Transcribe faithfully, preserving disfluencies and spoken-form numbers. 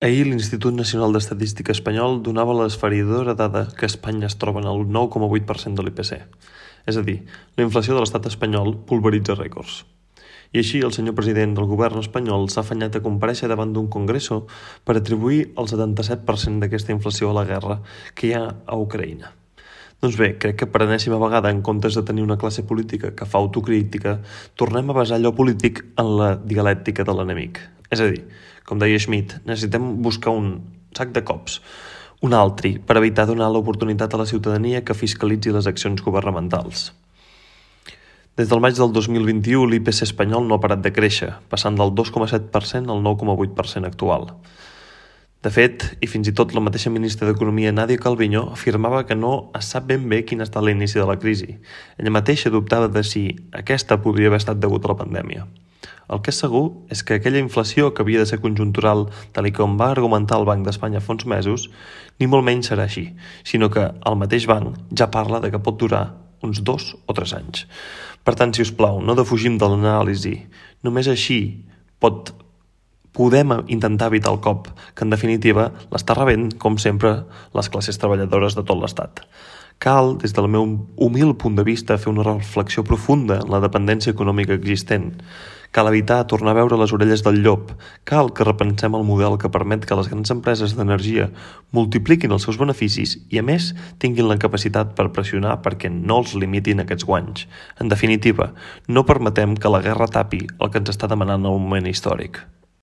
Ahir l'Institut Nacional d'Estadística espanyol donava l'esfereïdora dada que Espanya es troba en el nou coma vuit per cent de l'I P C. És a dir, la inflació de l'estat espanyol pulveritza rècords. I així el senyor president del govern espanyol s'ha afanyat a comparèixer davant d'un congreso per atribuir el setanta-set per cent d'aquesta inflació a la guerra que hi ha a Ucraïna. Doncs bé, crec que per enèsima vegada, en comptes de tenir una classe política que fa autocrítica, tornem a basar allò polític en la dialèctica de l'enemic. És a dir, com deia Schmitt, necessitem buscar un sac de cops, un altri, per evitar donar l'oportunitat a la ciutadania que fiscalitzi les accions governamentals. Des del maig del dos mil vint-i-u, l'I P C espanyol no ha parat de créixer, passant del dos coma set per cent al nou coma vuit per cent actual. De fet, i fins i tot la mateixa ministra d'Economia, Nadia Calviño, afirmava que no es sap ben bé quin ha estat l'inici de la crisi. Ella mateixa dubtava de si aquesta podria haver estat degut a la pandèmia. El que és segur és que aquella inflació que havia de ser conjuntural, tal i com va argumentar el Banc d'Espanya fa uns mesos, ni molt menys serà així, sinó que el mateix banc ja parla de que pot durar uns dos o tres anys. Per tant, si us plau, no defugim de l'anàlisi. Només així pot podem intentar evitar el cop, que en definitiva l'està rebent, com sempre, les classes treballadores de tot l'Estat. Cal, des del meu humil punt de vista, fer una reflexió profunda en la dependència econòmica existent. Cal evitar tornar a veure les orelles del llop. Cal que repensem el model que permet que les grans empreses d'energia multipliquin els seus beneficis i, a més, tinguin la capacitat per pressionar perquè no els limitin aquests guanys. En definitiva, no permetem que la guerra tapi el que ens està demanant el moment històric.